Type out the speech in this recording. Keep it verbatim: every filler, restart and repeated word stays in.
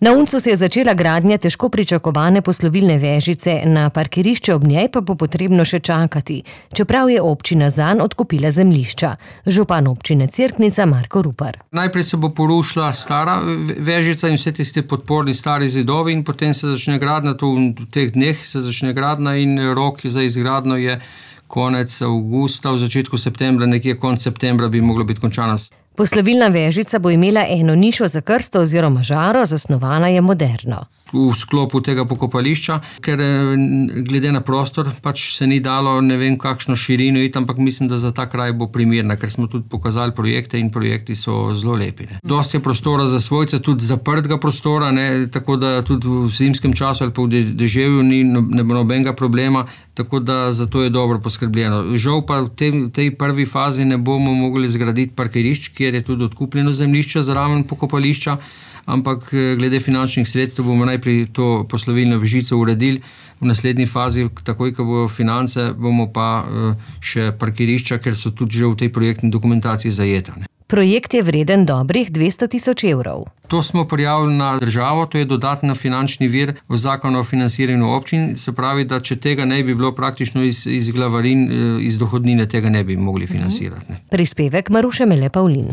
Na Uncu se je začela gradnja težko pričakovane poslovilne vežice, na parkirišče ob njej pa bo potrebno še čakati, čeprav je občina zanj odkupila zemljišča. Župan občine Cerknica Marko Rupar. Najprej se bo porušila stara vežica in vse tiste podporni stari zidovi in potem se začne gradnja, to v teh dneh se začne gradnja in rok za izgradnjo je konec avgusta, v začetku septembra, nekje konec septembra bi moglo biti končana. Poslovilna vežica bo imela eno nišo za krsto oziroma žaro, zasnovana je moderno. V sklopu tega pokopališča, ker glede na prostor pač se ni dalo ne vem kakšno širino iti, ampak mislim, da za ta kraj bo primerna, ker smo tudi pokazali projekte in projekti so zelo lepi. Ne. Dosti je prostora za svojce, tudi zaprtega prostora, ne, tako da tudi v zimskem času ali pa v deževju ni ne bo nobenega problema, tako da zato je dobro poskrbljeno. Žal pa v tej, tej prvi fazi ne bomo mogli zgraditi parkirišč, kjer je tudi odkupljeno zemljišče zraven pokopališča, ampak glede finančnih sredstev bomo najprej to poslovilno vežico uredili. V naslednji fazi, takoj, ko bo finance, bomo pa še parkirišča, ker so tudi že v tej projektni dokumentaciji zajeta. Projekt je vreden dobrih dvesto tisoč evrov. To smo prijavili na državo, to je dodatna finančni vir v zakonu o financiranju občin, se pravi, da če tega ne bi bilo praktično iz, iz glavarin, iz dohodnine, tega ne bi mogli financirati. Ne. Prispevek Maruše Mele Pavlin.